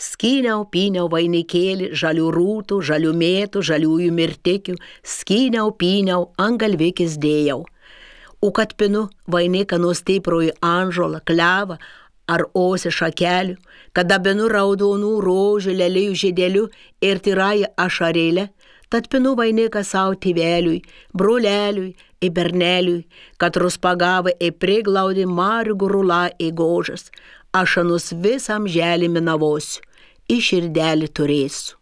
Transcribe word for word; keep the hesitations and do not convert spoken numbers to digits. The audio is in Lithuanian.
Skyniau, pyniau vainikėlį, žalių rūtų, žalių mėtų, žaliųjų mirtikių, skyniau, pyniau, ant galvikis dėjau. O kad pinu vainiką nuo stiproji anžolą, klevą ar osį šakelių, kad dabinu raudonų rožių, lelijų žiedelių ir tyrąją ašarėlę, tad pinu vainiką savo tėveliui, broleliui ir berneliui, kad ruspagavai ir priglaudė marių gurulą į gožas, ašanus visam želį minavosiu, į širdelį turėsiu.